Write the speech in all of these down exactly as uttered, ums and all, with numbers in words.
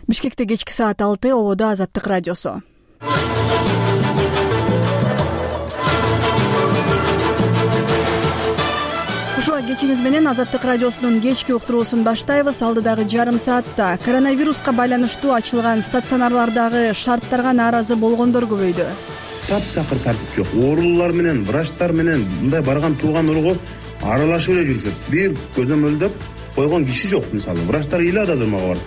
Бишкекте кечки саат алты, ободо Азаттык радиосу. Ушуга кечиңиз менен Азаттык радиосунун кечки уктуруусун баштайбыз. Алдыдагы жарым саатта коронавируска байланыштуу ачылган стационарлардагы шарттарга нааразы болгондор көбөйдү. Таптакыр тартип жок. Оорулуулар менен, врачтар менен мындай барган тууган ургу аралашып эле жүрүшөт. Бир көзөмөлдөп койгон киши жок. Мисалы, врачтар ыйлады азыр мага барса.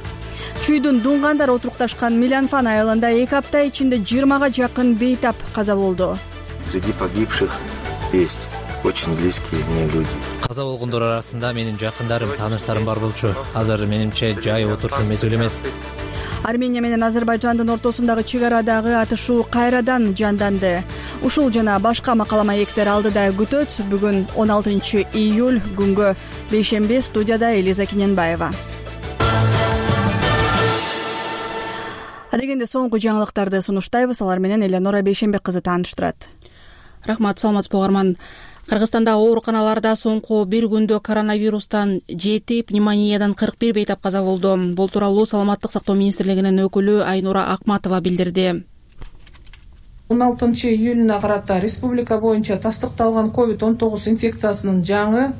Чүйдүн Дунгандар отурукташкан Милянфан айылында эки апта ичинде жыйырмага жакын бейтап каза болду. Среди погибших есть очень близкие мне люди. Каза болгондор арасында менин жакындарым, тааныштарым бар болчу. Азыр менимче жай отурушун мезгили эмес. Армения менен Азербайжандын ортосундагы чек арадагы атышуу кайрадан жанданды. Ушул жана башка макала маектер алдыда күтөт. Бүгүн он алтынчы июль күнгө бейшемби. Студияда Элиза Кененбаева. Адегенде соңку жаңылыктарды сунуштайбыз. Алар менен Эленора Бейшембек кызы тааныштырат. Рахмат, саламатсызбы угарман. Кыргызстанда ооруканаларда соңку бир күндө коронавирустан жети, пневмониядан кырк бир бейтап каза болду. Бул тууралуу Саламаттык сактоо министрлигинин өкүлү Айнура Акматова билдирди. он алтынчы июлуна карата республика боюнча тастыкталган ковид он тогуз инфекциясынын жаңы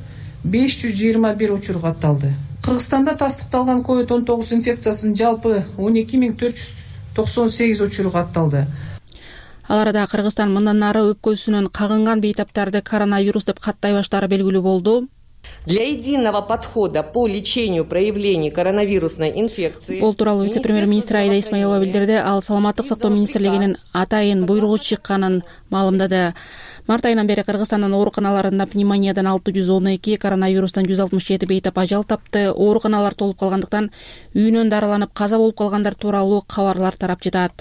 беш жүз жыйырма бир учур катталды. Кыргызстанда тастыкталган ковид он тогуз инфекциясынын жалпы он эки миң төрт жүз токсон сегиз учуру катталды. Ал арада Кыргызстан мындан нары өпкөсүнөн кагынган бейтаптарды коронавирус деп каттай баштаары белгилүү болду. Для единого подхода по лечению проявлений коронавирусной инфекции. Бул тууралуу вице-премьер-министр Айда Исмаилова билдирди. Ал Саламаттык сактоо министрлигинин атайын буйругу чыкканын маалымдады. Март айынан бери Кыргызстандын ооруканаларында пневмониядан алты жүз он эки, коронавирустан жүз алтымыш жети бейтап ажал тапты. Ооруканалар толуп калгандыктан үйүнөн дарыланып каза болуп калгандар тууралуу кабарлар тарап жатат.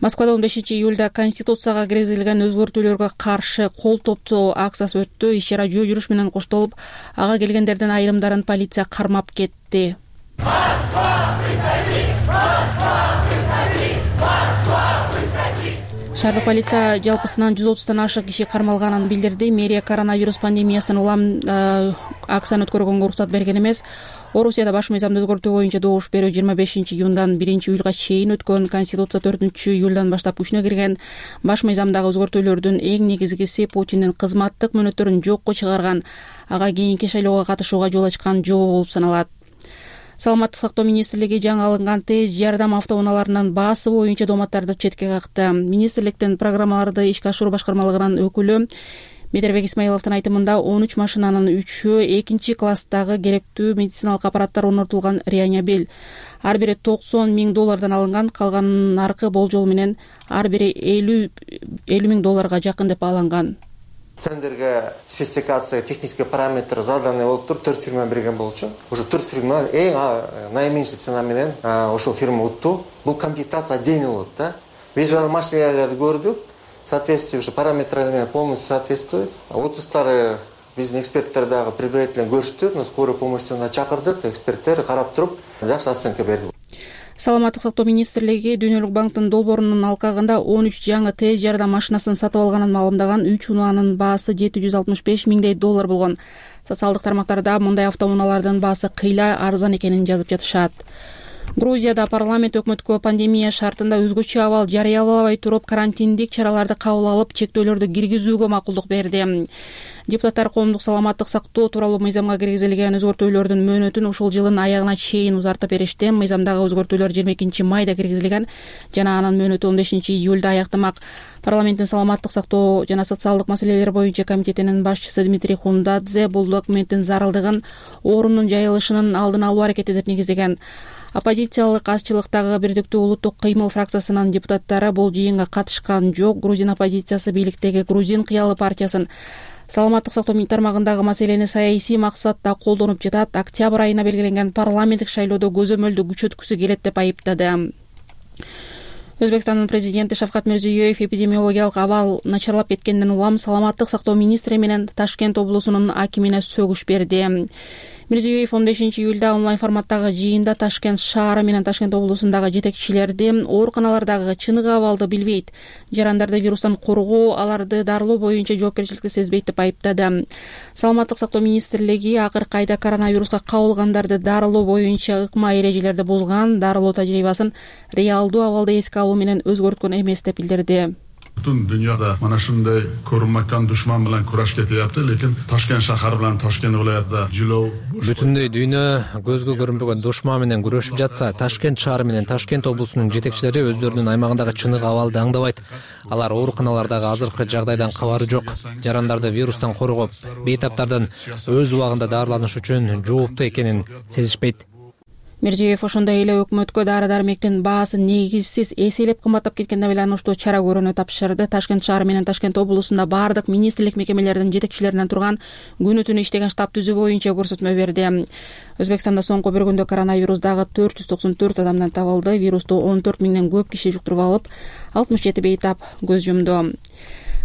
Москвада он бешинчи июлда Конституцияга киргизилген өзгөртүүлөргө каршы кол топтоо акциясы өттү. Иш-чара жөө жүрүш менен коштолуп, ага келгендердин айрымдарын полиция кармап кетти. Шаардык полиция жалпысынан жүз отуздан ашык киши кармалганын билдирди. Мэрия коронавирус пандемиясынан улам акцияны өткөргөнгө уруксат берген эмес. Орусияда баш мыйзамды өзгөртүү боюнча добуш берүү жыйырма бешинчи июндан биринчи июлга чейин өткөн. Конституция төртүнчү июлдан баштап күчүнө кирген. Баш мыйзамдагы өзгөртүүлөрдүн эң негизгиси Путиндин кызматтык мөөнөттөрүн жокко чыгарган, ага кийинки шайлоого катышууга жол ачкан жобо болуп саналат. Саламаттык сактоо министрлиги жаңы алынган тез жардам автоунааларынын баасы боюнча дооматтарды четке какты. Министрликтин программаларды ишке ашыруу башкармалыгынын өкүлү Медербек Исмаиловдун айтымында он үч машинанын үчөө экинчи класстагы керектүү медициналык аппараттар орнотулган реанимобиль. Ар бири токсон миң доллардан алынган, калганынын наркы болжол менен ар бири элүү миң долларга жакын деп бааланган. Тендерге спецификация, технический параметр заданы болуп туруп төрт фирма берген болчу. Уже төрт фирма эң наименьший цена менен ошол фирма утту. Бул комплектация отдельно болот да. Визуал машиналарды көрдүк. Соответствие уже параметрларына полностью соответствует. Отзывдары биздин эксперттер дагы предварительно көрүштү. Но скорую помощьтуна чакырдык, эксперттер карап туруп жакшы оценка берди. Саламаттык сактоо министрлиги Дүйнөлүк банктын долбоорунун алкагында он үч жаңы тез жардам машинасын сатып алганын маалымдаган. Үч унаанын баасы жети жүз алтымыш беш миңдей доллар болгон. Социалдык тармактарда мындай автоунаалардын баасы кыйла арзан экенин жазып жатышат. Грузияда парламент өкмөткө пандемия шартында өзгөчө абал жарыялабай туруп карантиндик чараларды кабыл алып, чектөөлөрдү киргизүүгө макулдук берди. Депутаттар коомдук саламаттык сактоо тууралуу мыйзамга киргизилген өзгөртүүлөрдүн мөөнөтүн ушул жылдын аягына чейин узартып беришти. Мыйзамдагы өзгөртүүлөр жыйырма экинчи майда киргизилген жана анын мөөнөтү он бешинчи июлда аяктамак. Парламенттин саламаттык сактоо жана социалдык маселелер боюнча комитетинин башчысы Дмитрий Хундадзе бул документтин зарылдыгын оорунун жайылышынын алдын алуу аракети деп негиздеген. Оппозициялык азчылыктагы Бирдиктүү улуттук кыймыл фракциясынын депутаттары бул жыйынга катышкан жок. Грузин оппозициясы бийликтеги Грузин кыялы партиясын саламаттык сактоо тармагындагы маселени саясий максатта колдонуп жатат. Октябрь айына белгиленген парламенттик шайлоодо көзөмөлдү күчөткүсү келет деп айыптады. Өзбекстандын президенти Шавкат Мирзиёев эпидемиологиялык абал начарлап кеткенден улам саламаттык сактоо министри менен Ташкент облусунун акимине сөгүш берди. Мирзиёев он бешинчи июлда онлайн форматтагы жыйында Ташкент шаары менен Ташкент облусундагы жетекчилерди ооруканалардагы чыныгы абалды билбейт, жарандарды вирустан коргоо, аларды дарылоо боюнча жоопкерчиликти сезбейт деп айыптады. Саламаттык сактоо министрлиги акыркы айда коронавируска кабылгандарды дарылоо боюнча ыкма эрежелерди бузган, дарылоо тажрыйбасын реалдуу абалда эске алуу менен өзгөрткөн эмес деп билдирди. Бүтүн дүйнөдө мына ушундай көрүнмөкөн душман менен кураш кетип, лекин Ташкент шаар менен Ташкент вилаятында жылоо бүтүндөй дүйнө көзгө көрүнбөгөн душман менен күрөшүп жатса, Ташкент шаары менен Ташкент облусунун жетекчилери өздөрүнүн аймагындагы чыныгы абалды аңдабайт. Алар ооруканалардагы азыркы жагдайдан кабары жок. Жарандарды вирустан коргоп, бейтаптардан өз убагында дарыланыш үчүн жооптуу экенин сезишпейт. Мирзиёев ошондой эле өкмөткө дары-дармектин баасын негизсиз эселеп кымбаттап кеткенине байланыштуу чара көрүүнү тапшырды. Ташкент шаары менен Ташкент облусунда баардык министрлик мекемелердин жетекчилеринен турган күнү түнү иштеген штаб түзүү боюнча көрсөтмө берди. Өзбекстанда соңку бир күндө коронавирус дагы төрт жүз токсон төрт адамдан табылды. Вирусту он төрт миңден көп киши жуктуруп алып, алтымыш жети бейтап көз жумду.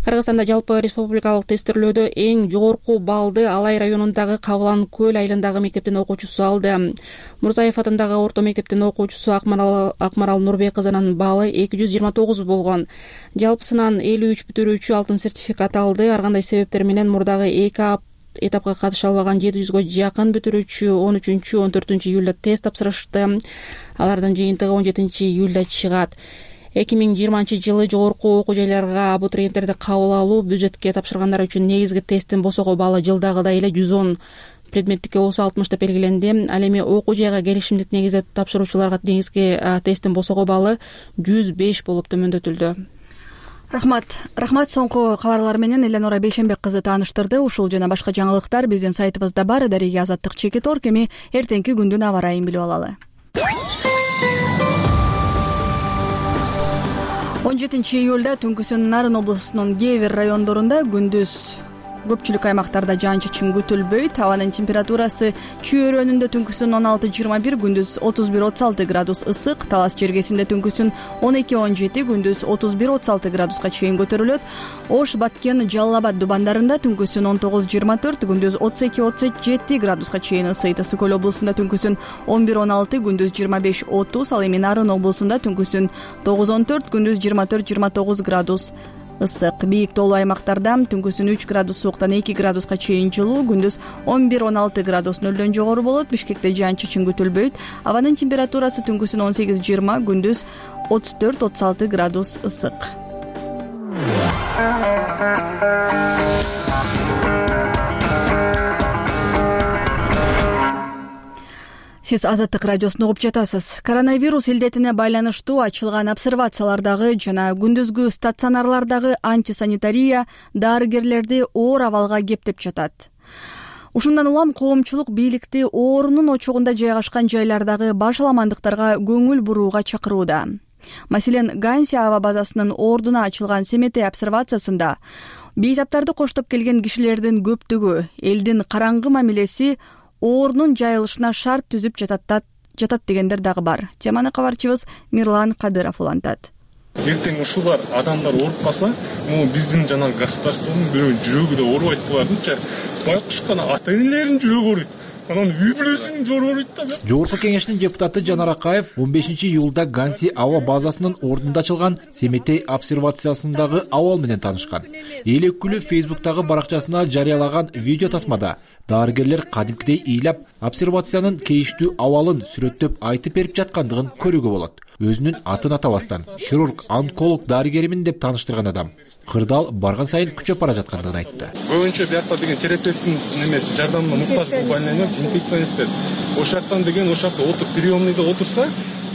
Кыргызстанда жалпы республикалык тестирлөөдө эң жогорку баллды Алай районундагы Кабылан көл айылындагы мектептин окуучусу алды. Мурзаев атындагы орто мектептин окуучусу Акмарал, Акмарал Нурбек кызынын баллы эки жүз жыйырма тогуз болгон. Жалпысынан элүү үч бүтүрүүчү алтын сертификат алды. Ар кандай себептер менен мурдагы эки этапка катыша албаган жети жүзгө жакын бүтүрүүчү он үчүнчү он төртүнчү июлда тест тапшырышты. Алардын жыйынтыгы он жетинчи июлда чыгат. эки миң жыйырманчы жылы жогорку окуу жайларга абитуриенттерди кабыл алуу бюджетке тапшыргандар үчүн негизги тесттин босого баллы жылдагыдай эле жүз он, предметтикке болсо алтымыш деп белгиленди. Ал эми окуу жайга келишимдик негизде тапшыруучуларга негизги тесттин босого баллы жүз беш болуп төмөндөтүлдү. Рахмат. Рахмат соңку кабарлар менен Эленора Бейшенбек кызы тааныштырды. Ушул жана башка жаңылыктар биздин сайтыбызда бар. Дарига Азаттык чекит орг. Эми эртеңки күндүн аба ырайын билип алалы. он жетинчи июлда түнкүсүн Нарын облусунун кээ бир райондорунда күндүз көпчүлүк аймактарда жаан-чачын күтүлбөйт. Абанын температурасы чөйрөнүндө түнкүсүн он алты жыйырма бир, күндүз отуз бир отуз алты градус ысык, Талас жергесинде түнкүсүн он эки он жети, күндүз отуз бир отуз алты градуска чейин көтөрүлөт. Ош, Баткен, Жалал Абад дубандарында түнкүсүн он тогуз жыйырма төрт, күндүз отуз эки отуз жети градуска чейин ысыйт. Ысык көл облусунда түнкүсүн он бир он алты, күндүз жыйырма беш отуз, ал эми Нарын облусунда түнкүсүн тогуз он төрт, күндүз жыйырма төрт жыйырма тогуз градус ысык. Бийик тоолуу аймактарда түнкүсүн үч градус сууктан эки градуска чейин жылуу, күндүз он бир он алты градус нөлдөн жогору болот. Бишкекте жаан-чачын күтүлбөйт. Абанын температурасы түнкүсүн он сегиз жыйырма, күндүз отуз төрт отуз алты градус ысык. Сиз Азаттык радиосун угуп жатасыз. Коронавирус илдетине байланыштуу ачылган обсервациялардагы жана күндүзгү стационарлардагы антисанитария дарыгерлерди оор абалга кептеп жатат. Ушундан улам коомчулук бийликти оорунун очогунда жайгашкан жайлардагы баш аламандыктарга көңүл бурууга чакырууда. Маселен, Ганси аба базасынын ордуна ачылган Семетей обсервациясында бейтаптарды коштоп келген кишилердин көптүгү, элдин караңгы мамилеси оорунун жайылышына шарт түзүп жатат жатат дегендер дагы бар. Теманы кабарчыбыз Мирлан Кадыров улантат. Эртең ушулар адамдар ооруп калса, могу биздин жана государствонун бирөө жүрөгү да оорубайт булардынча. Байкуш гана ата-энелеринин жүрөгү ооруйт. Анан үй бүлөсүнүн жүрөгү ооруйт да. Жогорку кеңештин депутаты Жанар Акаев он бешинчи июлда Ганси аба базасынын ордунда ачылган Семетей обсервациясындагы абал менен таанышкан. Эл өкүлү Фейсбуктагы баракчасына жарыялаган видео тасмада дарыгерлер кадимкидей ыйлап обсервациянын кейиштүү абалын сүрөттөп айтып берип жаткандыгын көрүүгө болот. Өзүнүн атын атабастан хирург, онколог дарыгеримин деп тааныштырган адам кырдаал барган сайын күчөп бара жаткандыгын айтты. Көбүнчө биякта деген терапевттин немеси жардамына муктаж больной инфекционисттер. Ошактан деген ошакта отуруп приемныйда отурса,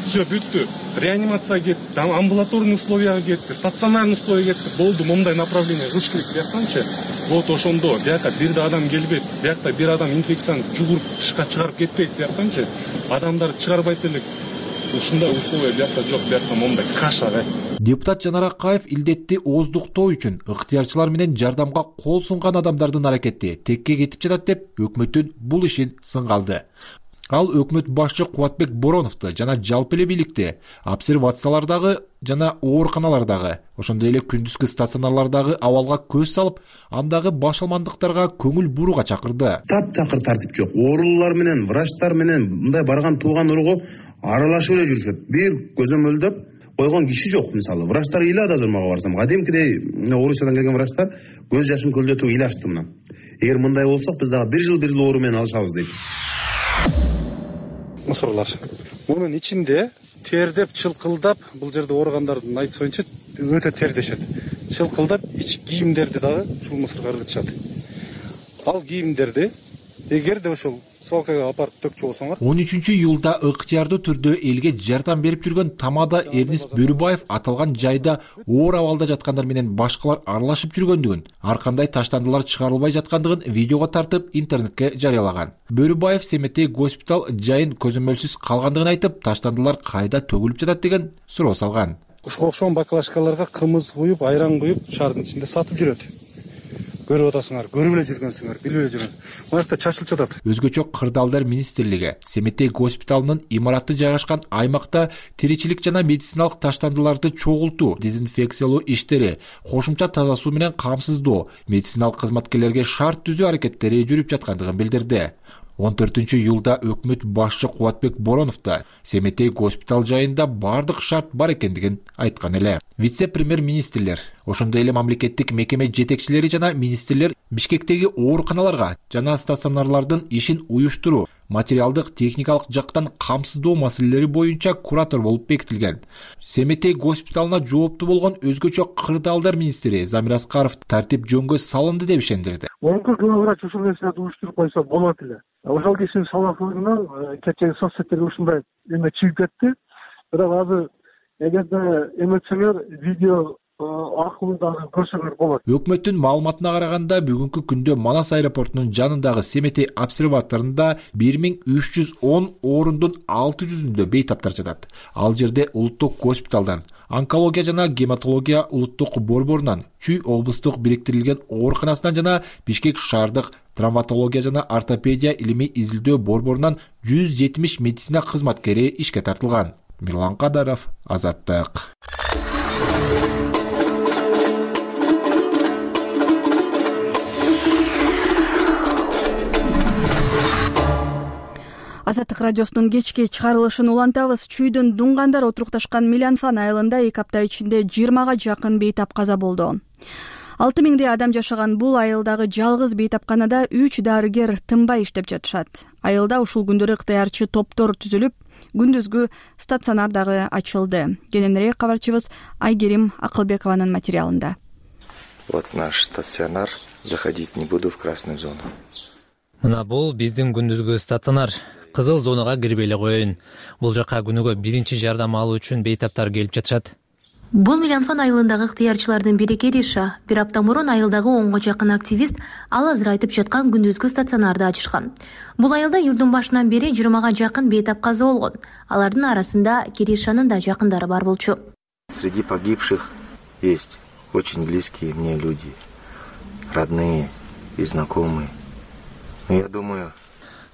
все бүттү. Реанимацияга кетти, амбулаторный условияга кетти, стационарный условияга кетти. Болду, момундай направление кылыш керек бияктанчы. Вот ошондо биякка бир да адам келбейт. Биякта бир адам инфекцияны жугуруп тышка чыгарып кетпейт бияктанчы. Адамдар чыгарбайт элек. Ушундай условия биякта жок, биякта момундай каша. Депутат Жанар Акаев илдетти ооздуктоо үчүн ыктыярчылар менен жардамга кол сунган адамдардын аракети текке кетип жатат деп өкмөттүн бул ишин сынга алды. Ал өкмөт башчы Кубатбек Бороновду жана жалпы эле бийликти обсервациялардагы жана ооруканалардагы, ошондой эле күндүзгү стационарлардагы абалга көз салып, андагы башалмандыктарга көңүл бурууга чакырды. Таптакыр тартип жок. Оорулар менен, врачтар менен мындай барган тууган уругу аралашып эле жүрүшөт. Бир көзөмөлдөп койгон киши жок. Мисалы, врачтар ыйлады азыр мага барсам. Кадимкидей Орусиядан келген врачтар көз жашын көлдөтүп ыйлашты мына. Эгер мындай болсок, биз дагы бир жыл бир жыл оору менен алышабыз дейт. Мусорлар. Мунун ичинде тердеп, чылкылдап, бул жерде ооругандардын айтышынча өтө тердешет. Чылкылдап, ич кийимдерди дагы ушул мусорго ыргытышат. Ал кийимдерди эгерде ошол свалкага апарып төкчү болсоңор. он үчүнчү июлда ыктыярдуу түрдө элге жардам берип жүргөн Тамада Эрнист Бөрүбаев аталган жайда оор абалда жаткандар менен башкалар аралашып жүргөндүгүн, ар кандай таштандылар чыгарылбай жаткандыгын видеого тартып интернетке жарыялаган. Бөрүбаев Семетей госпиталь жайын көзөмөлсүз калгандыгын айтып, таштандылар кайда төгүлүп жатат деген суроо салган. Ушуга окшогон баклажкаларга кымыз куюп, айран куюп, шаардын ичинде сатып жүрөт. Көрүп атасыңар, көрүп эле жүргөнсүңөр, билип эле жүргөн. Мынакта чачылып жатат. Өзгөчө Кырдаалдар министрлиги Семетей госпиталынын имараты жайгашкан аймакта тиричилик жана медициналык таштандыларды чогултуу, дезинфекциялоо иштери, кошумча таза суу менен камсыздоо, медициналык кызматкерлерге шарт түзүү аракеттери жүрүп жаткандыгын билдирди. он төртүнчү июлда өкмөт башчы Кубатбек Боронов да Семетей госпиталь жайында бардык шарт бар экендигин айткан эле. Вице-премьер-министрлер, ошондой эле мамлекеттик мекеме жетекчилери жана министрлер Бишкектеги ооруканаларга жана стационарлардын ишин уюштуруу, материалдык техникалык жактан камсыздоо маселелери боюнча куратор болуп бекитилген. Семетей госпиталына жооптуу болгон өзгөчө Кырдаалдар министри Замир Аскаров тартип жөнгө салынды деп ишендирди. Мумкин главврач ушул нерсени уюштуруп койсо болот эле. Ошол кишинин салафлыгынан кечеги соцсеттерге ушундай эме чыгып кетти. Бирок азыр эгерде эметсеңер видео аркылуу дагы көрсөңөр болот. Өкмөттүн маалыматына караганда бүгүнкү күндө Манас аэропортунун жанындагы Семетей обсерваторунда бир миң үч жүз он орундун алты жүзүндө бейтаптар жатат. Ал жерде улуттук госпиталдан, онкология жана гематология улуттук борборунан, Чүй облустук бириктирилген ооруканасынан жана Бишкек шаардык травматология жана ортопедия илимий изилдөө борборунан жүз жетимиш медицина кызматкери ишке тартылган. Мирлан Кадаров, Азаттык. Азаттык радиосунун кечки чыгарылышын улантабыз. Чүйдүн Дунгандар отурукташкан Милянфан айылында эки апта ичинде жыйырмага жакын бейтап каза болду. алты миңдей адам жашаган бул айылдагы жалгыз бейтапканада үч дарыгер тынбай иштеп жатышат. Айылда ушул күндөрү ыктыярчы топтор түзүлүп, күндүзгү стационар дагы ачылды. Кененирээк кабарчыбыз Айгерим Акылбекованын материалында. Вот наш стационар. Заходить не буду в красную зону. Мына бул биздин күндүзгү стационар. Кызыл зонага кирбей эле коеюн. Бул жака күнүгө биринчи жардам алуу үчүн бейтаптар келип жатышат. Бул Милянфан айылындагы ыктыярчылардын бири Кериша. Бир апта мурун айылдагы онго жакын активист ал азыр айтып жаткан күндүзгү стационарды ачышкан. Бул айылда июлдун башынан бери жыйырмага жакын бейтап каза болгон. Алардын арасында Керишанын да жакындары бар болчу. Среди погибших есть очень близкие мне люди, родные и знакомые. Но я думаю,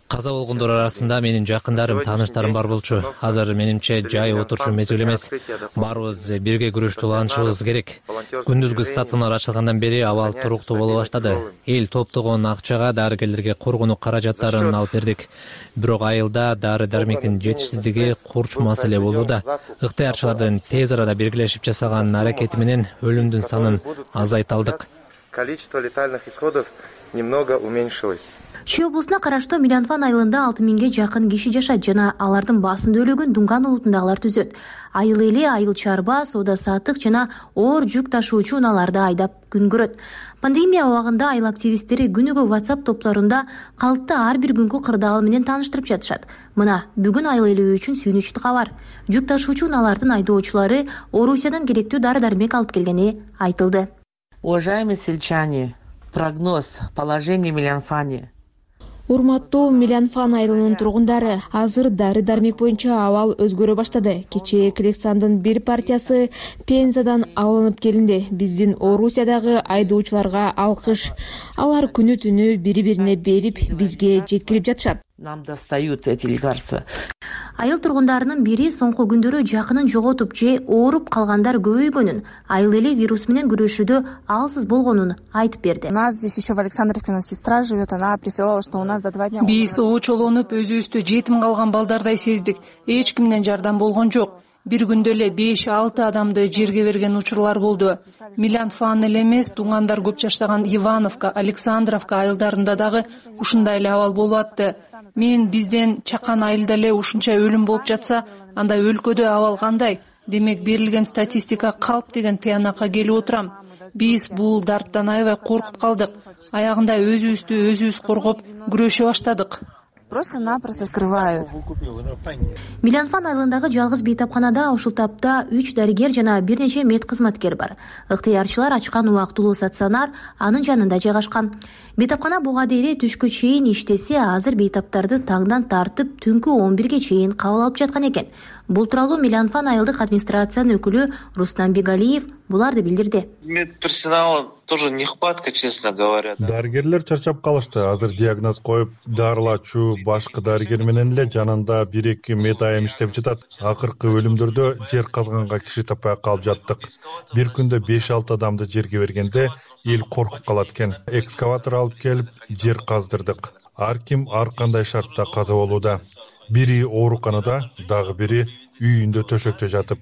каза болгондор арасында менин жакындарым, тааныштарым бар болчу. Азыр менимче жай отурчу мезгил эмес. Баарыбыз бирге күрөштү улантышыбыз керек. Күндүзгү стационар ачылгандан бери абал туруктуу боло баштады. Эл топтогон акчага дарыгерлерге коргонуу каражаттарын алып бердик. Бирок айылда дары-дармектин жетишсиздиги курч маселе болууда. Ыктыярчылардын тез арада биргелешип жасаган аракети менен өлүмдүн санын азайта алдык. Количество летальных исходов немного уменьшилось. Чүй облусуна караштуу Милянфан айылында алты миңге жакын киши жашайт жана алардын баасында өлөгөн Дунган улутундагылар түзөт. Айыл эли айыл чарба, соода саттык жана оор жүк ташуучу унааларды айдап күн көрөт. Пандемия убагында айыл активисттери күнүгө WhatsApp топторунда калкты ар бир күнгү кырдаал менен тааныштырып жатышат. Мына бүгүн айыл эли үчүн сүйүнүчтүү кабар. Жүк ташуучу унаалардын айдоочулары Орусиядан керектүү дары-дармек алып келгени айтылды. Уважаемые сельчане, прогноз положения в Милянфане. Урматтуу Милянфан айылынын тургундары, азыр дары-дармек боюнча абал өзгөрө баштады. Кечээ коллекциондун бир партиясы Пензадан алынып келинди. Биздин Орусиядагы айдоочуларга алкыш. Алар күнү түнү бири-бирине берип, бизге жеткирип жатышат. Нам достают эти лекарства. Айыл тургундарынын бири соңку күндөрү жакынын жоготуп же ооруп калгандар көбөйгөнүн, айыл эли вирус менен күрөшүүдө алсыз болгонун айтып берди. У нас здесь еще в Александровке у нас сестра живет, она присылала, что у нас за два дня. Биз оочолонуп өзүбүздү жетим калган балдардай сездик. Эч кимден жардам болгон жок. Бир күндө эле беш алты адамды жерге берген учурлар болду. Милянфан эле эмес, туугандар көп жаштаган Ивановка, Александровка айылдарында дагы ушундай эле абал болуп атты. Мен бизден чакан айылда эле ушунча өлүм болуп жатса, анда өлкөдө абал кандай? Демек берилген статистика калп деген тыянакка келип отурам. Биз бул дарттан аябай коркуп калдык. Аягында өзүбүздү өзүбүз коргоп күрөшө баштадык. Просто-напросто скрывают. Милянфан айылындагы жалгыз бейтапканада ушул тапта үч дарыгер жана бир нече мед кызматкер бар. Ыктыярчылар ачкан убактылуу стационар анын жанында жайгашкан. Бейтапкана буга дейре түшкө чейин иштесе, азыр бейтаптарды таңдан тартып түнкү он бирге чейин кабыл алып жаткан экен. Бул тууралуу Милянфан айылдык администрациянын өкүлү Рустам Бегалиев буларды билдирди. Медперсонала тоже нехватка, честно говоря. Дарыгерлер чарчап калышты. Азыр диагноз коюп, дарылачу башкы дарыгер менен эле жанында бир эки мед айым иштеп жатат. Акыркы өлүмдөрдө жер казганга киши таппай калып жаттык. Бир күндө беш алты адамды жерге бергенде эл коркуп калат экен. Экскаватор алып келип жер каздырдык. Ар ким ар кандай шартта каза болууда. Бири ооруканада, дагы бири үйүндө төшөктө жатып.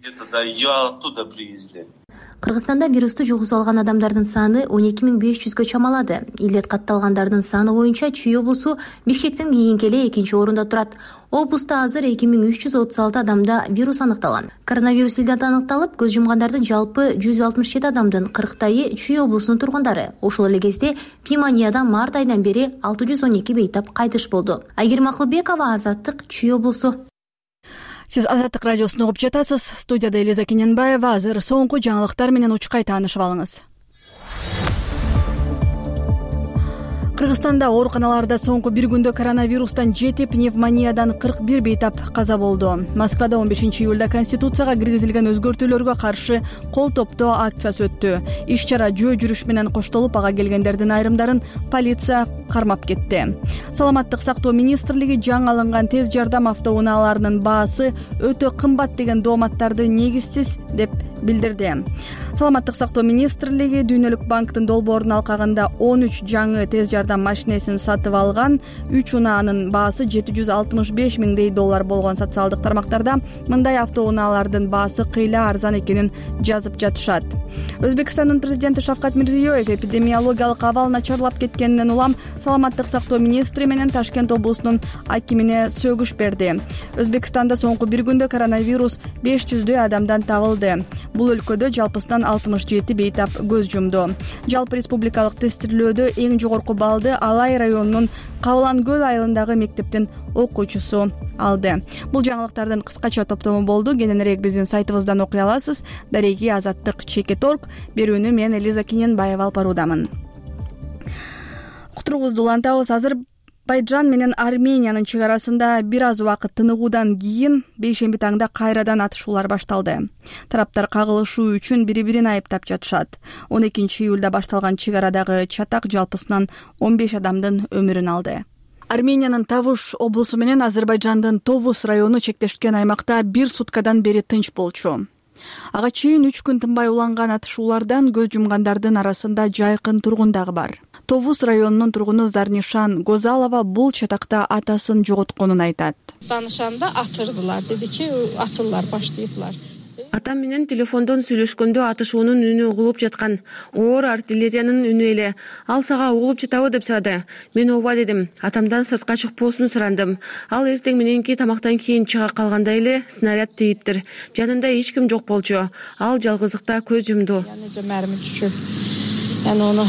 Кыргызстанда вирусту жугузуп алган адамдардын саны он эки миң беш жүзгө чамалады. Илдет катталгандардын саны боюнча Чүй облусу Бишкектен кийинки эле экинчи орунда турат. Облуста азыр эки миң үч жүз отуз алты адамда вирус аныкталган. Коронавирус илдет аныкталып, көз жумгандардын жалпы жүз алтымыш жети адамдын кырктайы Чүй облусунун тургундары. Ошол эле кезде пневмониядан март айынан бери алты жүз он эки бейтап кайтыш болду. Айгерим Акылбекова, Азаттык, Чүй облусу. Сиз Азаттык радиосун угуп жатасыз. Студияда Элиза Кененбаева. Азыр соңку жаңылыктар менен учкай таанышып алыңыз. Кыргызстанда ооруканаларда соңку бир күндө коронавирустан жети, пневмониядан кырк бир бейтап каза болду. Москвада он бешинчи июлда Конституцияга киргизилген өзгөртүүлөргө каршы кол топтоо акциясы өттү. Иш-чара жөө жүрүш менен коштолуп, ага келгендердин айрымдарын полиция кармап кетти. Саламаттык сактоо министрлиги жаңы алынган тез жардам автоунааларынын баасы өтө кымбат деген дооматтарды негизсиз деп билдирди. Саламаттык сактоо министрлиги Дүйнөлүк банктын долбоорунун алкагында он үч жаңы тез жардам машинесин сатып алган. Үч унаанын баасы жети жүз алтымыш беш миңдей доллар болгон. Социалдык тармактарда мындай автоунаалардын баасы кыйла арзан экенин жазып жатышат. Өзбекстандын президенти Шавкат Мирзиёев эпидемиологиялык абал начарлап кеткенинен улам Саламаттык сактоо министри менен Ташкент облусунун акимине сөгүш берди. Өзбекстанда соңку бир күндө коронавирус беш жүздөй адамдан табылды. Бул өлкөдө жалпысынан алтымыш жети бейтап көз жумду. Жалпы республикалык тестирүүлөөдө эң жогорку балды Алай районунун Кабылан көл айылындагы мектептин окуучусу алды. Бул жаңылыктардын кыскача топтому болду. Кененирээк биздин сайтыбыздан окуй аласыз. Дареги Азаттык чекит точка орг. Берүүнү мен Элиза Кененбаева алып баруудамын. Кутурубузду улантабыз. Азербайжан менен Армениянын чек арасында бир аз убакыт тыныгуудан кийин бейшемби таңда кайрадан атышуулар башталды. Тараптар кагылышуу үчүн бири-бирин айыптап жатышат. он экинчи июлда башталган чек арадагы чатак жалпысынан он беш адамдын өмүрүн алды. Армениянын Тавуш облусу менен Азербайжандын Товус району чектешкен аймакта бир суткадан бери тынч болчу. Ага чейин үч күн тынбай уланган атышуулардан көз жумгандардын арасында жайкын тургун дагы бар. Товус районунун тургуну Зарнишан Гозалова бул чатакта атасын жоготконун айтат. Танышанда атырдылар, деди ки атылар баштайыплар. Атам менен телефондон сүйлөшкөндө атышуунун үнү угулуп жаткан. Оор артиллериянын үнү эле. Ал сага угулуп жатабы деп сурады. Мен ооба дедим. Атамдан сыртка чыкпоосун сурандым. Ал эртең мененки тамактан кийин чыга калганда эле снаряд тийиптир. Жанында эч ким жок болчу. Ал жалгыздыкта көз жумду. Мәрми түшүп. Яны ону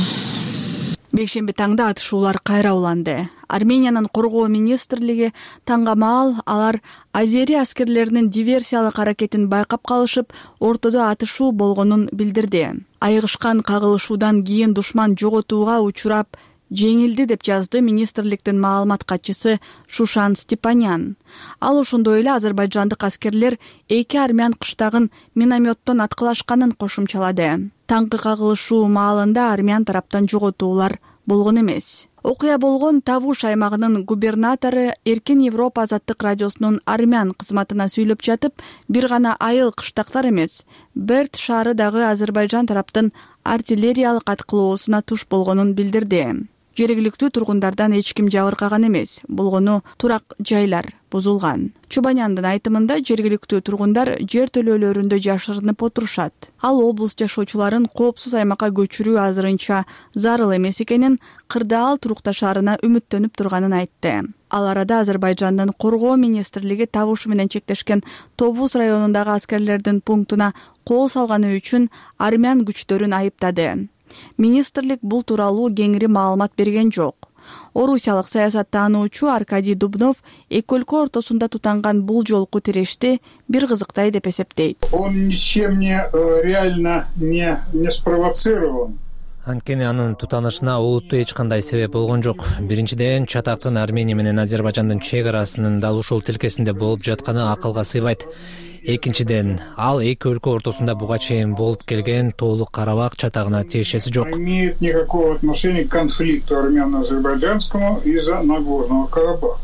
Бейшемби таңда атышуулар кайра уланды. Армениянын коргоо министрлиги таңга маал алар азери аскерлеринин диверсиялык аракетин байкап калышып, ортодо атышуу болгонун билдирди. Айыгышкан кагылышуудан кийин душман жоготууга учурап жеңилди деп жазды министрликтин маалымат катчысы Шушан Степанян. Ал ошондой эле азербайжандык аскерлер эки армян кыштагын минометтон аткылашканын кошумчалады. Таңкы кагылышуу маалында армян тараптан жоготуулар болгон эмес. Окуя болгон Тавуш аймагынын губернатору Эркин Европа азаттык радиосунун армян кызматына сүйлөп жатып, бир гана айыл кыштактар эмес, Берт шаары дагы Азербайжан тараптын артиллериялык аткылоосуна туш болгонун билдирди. Жергиликтүү тургундардан эч ким жабыркаган эмес, болгону турак жайлар бузулган. Чубаняндын айтымында жергиликтүү тургундар жер төлөөлөрүндө жашырынып отурушат. Ал облус жашоочуларын коопсуз аймакка көчүрүү азырынча зарыл эмес экенин, Кырдаал турукташ шаарына үмүттөнүп турганын айтты. Ал арада Азербайжандын коргоо министрлиги Тавуш менен чектешкен Тобуз районундагы аскерлердин пунктуна кол салганы үчүн армян күчтөрүн айыптады. Министрлик бул тууралуу кеңири маалымат берген жок. Орусиялык саясаттануучу Аркадий Дубнов эки өлкө ортосунда тутанган бул жолку тирешти бир кызыктай деп эсептейт. Он ничем не реально не не спровоцирован. Анткени анын тутанышына олуттуу эч кандай себеп болгон жок. Биринчиден, чатактын Армения менен Азербайжандын чек арасынын дал ушул тилкесинде болуп жатканы акылга сыйбайт. Экинчиден, ал эки өлкө ортосунда буга чейин болуп келген Тоолук Карабак чатагына тиешеси жок. Имеет никакого отношения к конфликту армяно-азербайджанскому из-за Нагорного Карабаха.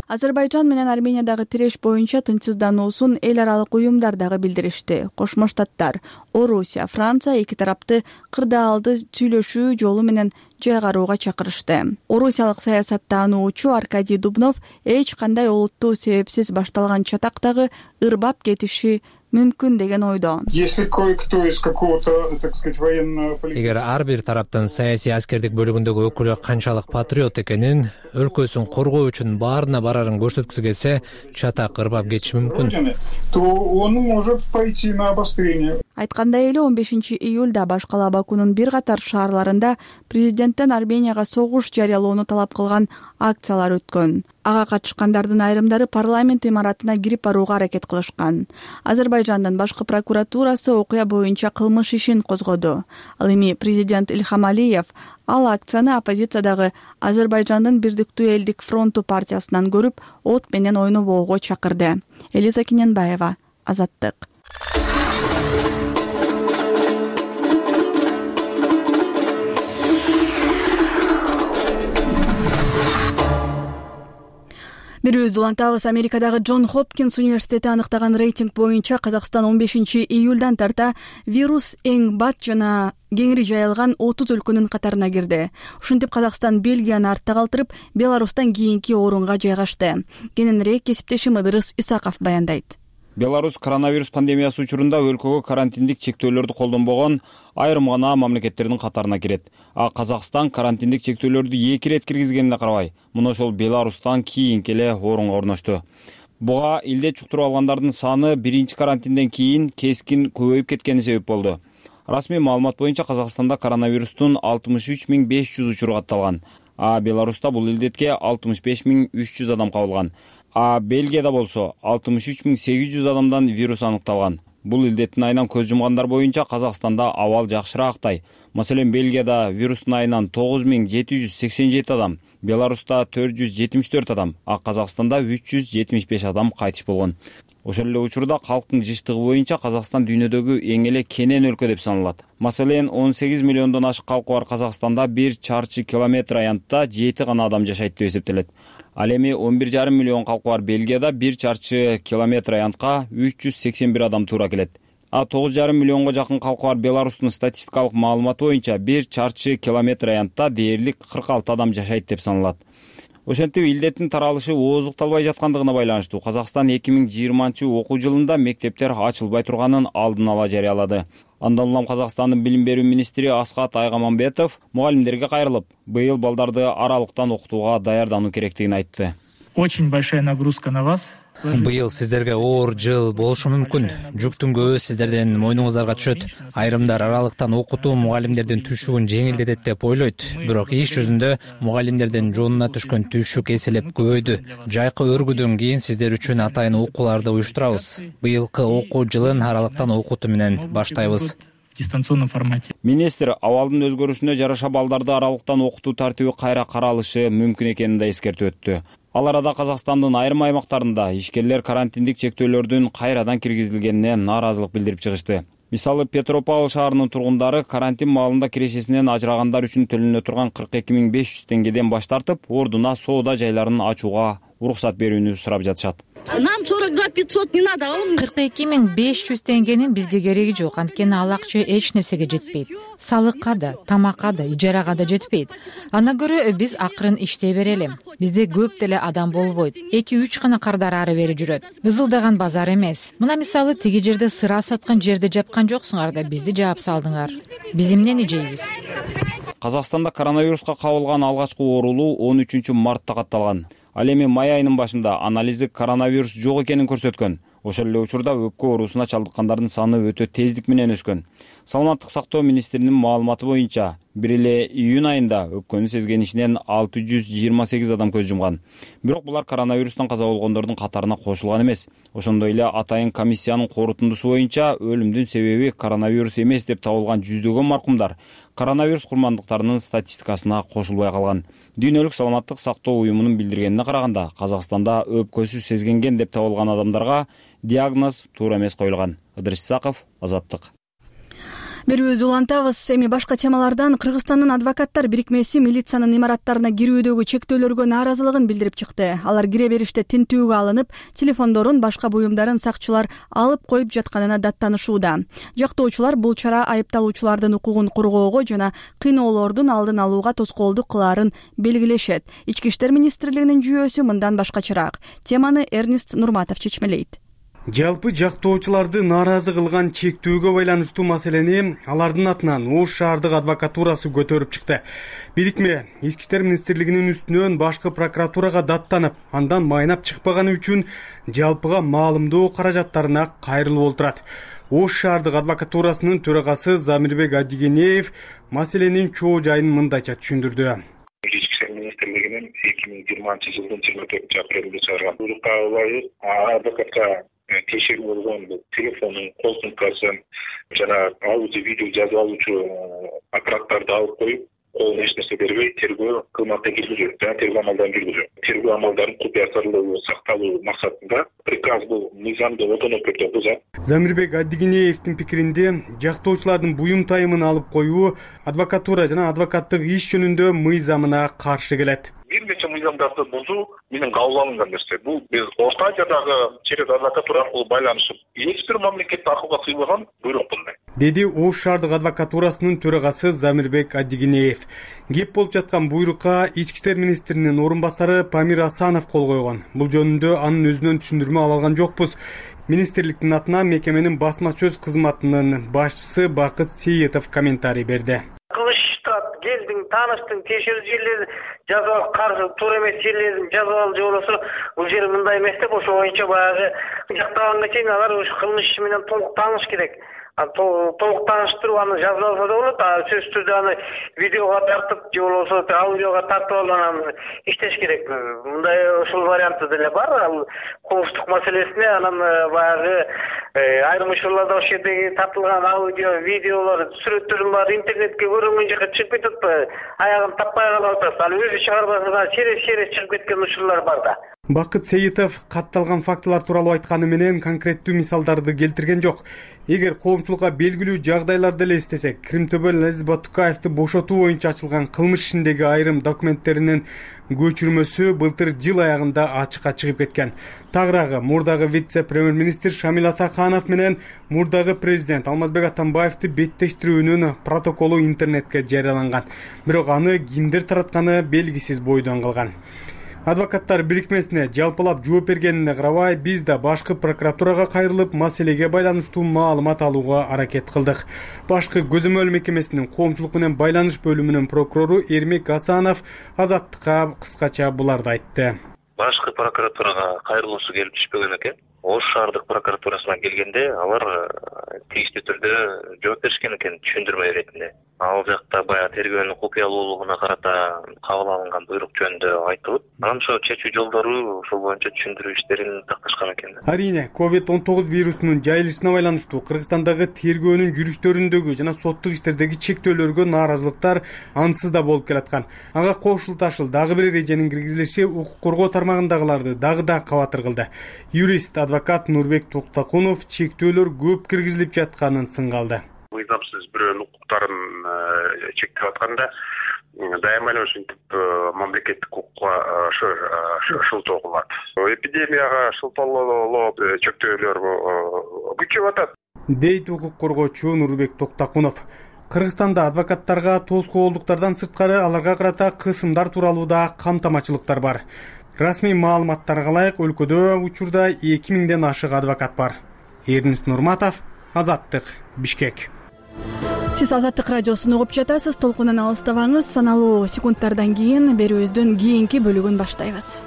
Азербайжан менен Армениядагы тиреш боюнча тынчсыздануусун эл аралык уюмдар дагы билдиришти. Кошмо Штаттар, Орусия, Франция эки тарапты Кырдаалды сүйлөшүү жолу менен жайгарууга чакырышты. Орусиялык саясаттануучу Аркадий Дубнов эч кандай олуттуу себепсиз башталган чатактагы ырбап кетиши мүмкүн деген ойдо. Если кое-кто из какого-то, так сказать, военного политического... Эгер ар бир тараптын саясий аскердик бөлүгүндөгү өкүлү канчалык патриот экенин, өлкөсүн коргоо үчүн баарына барарын көрсөткүсү келсе, чатак ырбап кетиши мүмкүн. То он может пойти на обострение. Айткандай эле он бешинчи июлда башкала Бакунун бир катар шаарларында президенттен Арменияга согуш жарыялоону талап кылган акциялар өткөн. Ага катышкандардын айрымдары парламент имаратына кирип барууга аракет кылышкан. Азербайжандын башкы прокуратурасы окуя боюнча кылмыш ишин козгоду. Ал эми президент Ильхам Алиев ал акцияны оппозициядагы Азербайжандын Бирдиктүү элдик фронту партиясынан көрүп, от менен ойнобоого чакырды. Элиза Киненбаева, Азаттык. Берүүбүздү улантабыз. Америкадагы Джон Хопкинс университети аныктаган рейтинг боюнча Казакстан он бешинчи июлдан тарта вирус эң бат жана кеңири жайылган отуз өлкөнүн катарына кирди. Ушинтип Казакстан Бельгияны артта калтырып, Беларустан кийинки орунга жайгашты. Кененирээк кесиптешим Ыдырыс Исаков баяндайт. Беларусь коронавирус пандемиясы учурунда өлкөгө карантиндик чектөөлөрдү колдонбогон айрым гана мамлекеттердин катарына кирет. А Казакстан карантиндик чектөөлөрдү эки ирет киргизгенине карабай, мына ошол Беларустан кийинки эле орунга орношту. Буга илде чуктуруп алгандардын саны биринчи карантинден кийин кескин көбөйүп кеткени себеп болду. Расмий маалымат боюнча Казакстанда коронавирустун алтымыш үч миң беш жүз учуру катталган, а Беларуста бул илдетке алтымыш беш миң үч жүз адам кабылган. А Бельгияда болсо алтымыш үч миң сегиз жүз адамдан вирус аныкталган. Бул илдеттин айынан көз жумгандар боюнча Казакстанда абал жакшыраактай. Маселен, Бельгияда вирустун айынан тогуз миң жети жүз сексен жети адам, Беларуста төрт жүз жетимиш төрт адам, а Казакстанда үч жүз жетимиш беш адам кайтыш болгон. Ошол эле учурда калктын жыштыгы боюнча Казакстан дүйнөдөгү эң эле кенен өлкө деп саналат. Маселен, он сегиз миллиондон ашык калкы бар Казакстанда бир чарчы километр аянтта жети гана адам жашайт деп эсептелет. Ал эми он бир жарым миллион калкы бар Бельгияда бир чарчы километр аянтка үч жүз сексен бир адам туура келет. А тогуз жарым миллионго жакын калкы бар Беларустун статистикалык маалыматы боюнча бир чарчы километр аянтта дээрлик кырк алты адам жашайт деп саналат. Ошентип илдеттин таралышы ооздукталбай жаткандыгына байланыштуу Казакстан эки миң жыйырманчы окуу жылында мектептер ачылбай турганын алдын ала жарыялады. Андан улам Казакстандын билим берүү министри Аскат Айгаманбетов мугалимдерге кайрылып, быйыл балдарды аралыктан окутууга даярдануу керектигин айтты. Очень большая нагрузка на вас. Быйыл сиздерге оор жыл болушу мүмкүн. Жүктүн көбү сиздердин мойнуңуздарга түшөт. Айрымдар аралыктан окутуу мугалимдердин түшүгүн жеңилдетет деп ойлойт. Бирок иш жүзүндө мугалимдердин жонуна түшкөн түшүк эселеп көбөйдү. Жайкы өргүүдөн кийин сиздер үчүн атайын окууларды уюштурабыз. Быйылкы окуу жылын аралыктан окутуу менен баштайбыз. В дистанционном формате. Министр абалдын өзгөрүшүнө жараша балдарды аралыктан окутуу тартиби кайра каралышы мүмкүн экенин да эскертип өттү. Ал арада Казакстандын айрым аймактарында ишкерлер карантиндик чектөөлөрдүн кайрадан киргизилгенине нааразылык билдирип чыгышты. Мисалы, Петропавл шаарынын тургундары карантин маалында кирешесинен ажырагандар үчүн төлөнө турган кырк эки миң беш жүз теңгеден баш тартып, ордуна соода жайларын ачууга уруксат берүүнү сурап жатышат. Нам сорок два пятьсот не надо. кырк эки миң беш жүз теңгенин бизге кереги жок. Анткени ал акча эч нерсеге жетпейт. Салыкка да, тамакка да, ижарага да жетпейт. Ана көрө биз акырын иштей берели. Бизде көп деле адам болбойт. эки үч гана кардар ары бери жүрөт. Ызылдаган базар эмес. Мына мисалы тиги жерде сыра саткан жерди жапкан жоксуңар да бизди жаап салдыңар. Биз эмнени жейбиз? Казакстанда коронавируска кабылган алгачкы оорулуу он үчүнчү мартта катталган. Ал эми май айынын башында анализи коронавирус жок экенин көрсөткөн. Ошол эле учурда өпкө оорусуна чалдыккандардын саны өтө тездик менен өскөн. Саламаттык сактоо министринин маалыматы боюнча, бир эле июнь айында өпкөнү сезгенишинен алты жүз жыйырма сегиз адам көз жумган. Бирок булар коронавирустан каза болгондордун катарына кошулган эмес. Ошондой эле атайын комиссиянын корутундусу боюнча өлүмдүн себеби коронавирус эмес деп табылган жүздөгөн маркумдар коронавирус курмандыктарынын статистикасына кошулбай калган. Дүйнөлүк саламаттык сактоо уюмунун билдиргенине караганда, Казакстанда өпкөсү сезгенген деп табылган адамдарга диагноз туура эмес коюлган. Ыдырыс Исаков, Азаттык. Берүүбүздү улантабыз. Эми башка темалардан Кыргызстандын адвокаттар бирикмеси милициянын имараттарына кирүүдөгү чектөөлөргө нааразылыгын билдирип чыкты. Алар кире бериште тинтүүгө алынып, телефондорун, башка буюмдарын сакчылар алып коюп жатканына даттанышууда. Жактоочулар бул чара айыпталуучулардын укугун коргоого жана кыйноолордун алдын алууга тоскоолдук кылаарын белгилешет. Ички иштер министрлигинин жүйөөсү мындан башкачараак. Теманы Эрнест Нурматов чечмелейт. Жалпы жактоочуларды нааразы кылган чектөөгө байланыштуу маселени алардын атынан Ош шаардык адвокатурасы көтөрүп чыкты. Бирикме Ички иштер министрлигинин үстүнөн башкы прокуратурага даттанып, андан майнап чыкпаганы үчүн жалпыга маалымдоо каражаттарына кайрылып отурат. Ош шаардык адвокатурасынын төрагасы Замирбек Адигенеев маселенин чоо жайын мындайча түшүндүрдү. Ички иштер министрлигинин эки миң жыйырманчы жылдын жыйырма төртүнчү апрелинде чыгарган буйрукка ылайык адвокатка тиешелүү болгон телефонун, кол сумкасын жана аудио видео жазып алуучу аппараттарды алып коюп, колуна эч нерсе бербей тергөө кылматты киргизүү жана тергөө амалдарын жүргүзүү. Тергөө амалдарын купуя сырлуу сакталуу максатында приказ бул мыйзамды отон өкмөттө бузат. Замирбек Адигенеевдин пикиринде, жактоочулардын буюм тайымын алып коюу адвокатура жана адвокаттык иш жөнүндө мыйзамына каршы келет. Бир нече мыйзамдарды бузуу менен кабыл алынган нерсе. Бул биз Орто Азиядагы через адвокатура аркылуу байланышып, эч бир мамлекетте акылга сыйбаган буйрук мындай. Деди Ош шаардык адвокатурасынын төрагасы Замирбек Адигенеев. Кеп болуп жаткан буйрукка Ички иштер министринин орун басары Памир Асанов кол койгон. Бул жөнүндө анын өзүнөн түшүндүрмө ала алган жокпуз. Министрликтин атынан мекеменин басма сөз кызматынын башчысы Бакыт Сейитов комментарий берди. Келдиң, тааныштың, тиешелүү жерлерди жазып алып, каршы туура эмес жерлерин жазып алып же болбосо бул жер мындай эмес деп ошо боюнча баягы жактаганга чейин алар ушу кылмыш иши менен толук тааныш керек. Толук тааныштырып аны жазып алса да болот, а сөзсүз түрдө аны видеого тартып же болбосо аудиого тартып алып анан иштеш керек. Мындай ушул варианты деле бар. Ал кылмыштык маселесине анан баягы айрым учурларда ошол жердеги тартылган аудио, видеолор, сүрөттөрдүн баары интернетке көрүнгөн жака чыгып кетип, аягын таппай калып атат. Ал өзү чыгарбаса через-через чыгып кеткен учурлар бар да. Бакыт Сейитов катталган фактылар тууралуу айтканы менен конкреттүү мисалдарды келтирген жок. Эгер коомчулукка белгилүү жагдайларды эле эстесек, Кримтөбөл Азиз Батукаевди бошотуу боюнча ачылган кылмыш ишиндеги айрым документтеринин көчүрмөсү былтыр жыл аягында ачыкка чыгып кеткен. Тагыраагы мурдагы вице-премьер-министр Шамил Атаканов менен мурдагы президент Алмазбек Атамбаевди беттештирүүнүн протоколу интернетке жарыяланган. Бирок аны кимдер таратканы белгисиз бойдон калган. Адвокаттар бирикмесине жалпылап жооп бергенине карабай, биз да башкы прокуратурага кайрылып, маселеге байланыштуу маалымат алууга аракет кылдык. Башкы көзөмөл мекемесинин коомчулук менен байланыш бөлүмүнүн прокурору Эрмек Асанов Азаттыкка кыскача буларды айтты. Башкы прокуратурага кайрылуусу келип түшпөгөн экен. Ош шаардык прокуратурасына келгенде алар тийиштүү түрдө жооп беришкен экен түшүндүрмө иретинде. ал жакта баягы тергөөнүн купуялуулугуна карата кабыл алынган буйрук жөнүндө айтылып, анан ошо чечүү жолдору ошол боюнча түшүндүрүү иштерин такташкан экен. Арийне ковид он тогуз вирусунун жайылышына байланыштуу Кыргызстандагы тергөөнүн жүрүштөрүндөгү жана соттук иштердеги чектөөлөргө нааразылыктар ансыз да болуп келаткан. Ага кошулташыл дагы бир эреженин киргизилиши укук коргоо тармагындагыларды дагы да кабатыр кылды. Юрист адвокат Нурбек Токтакунов чектөөлөр көп киргизилип жатканын сынга алды. Мыйзамсыз бирөөнүн укуктарын чектеп атканда дайыма эле ушинтип мамлекеттик укукка шылтоо кылат. Эпидемияга шылтоолоо чектөөлөр күчөп атат, дейт укук коргоочу Нурбек Токтакунов. Кыргызстанда адвокаттарга тоскоолдуктардан сырткары аларга карата кысымдар тууралуу да камтамачылыктар бар. Расмий маалыматтарга ылайык өлкөдө учурда эки миңден ашык адвокат бар. Эрнис Нурматов, Азаттык, Бишкек. Сиз Азаттык радиосун угуп жатасыз. Толкундан алыстабаңыз. Саналуу секундтардан кийин берүүбүздүн кийинки бөлүгүн баштайбыз.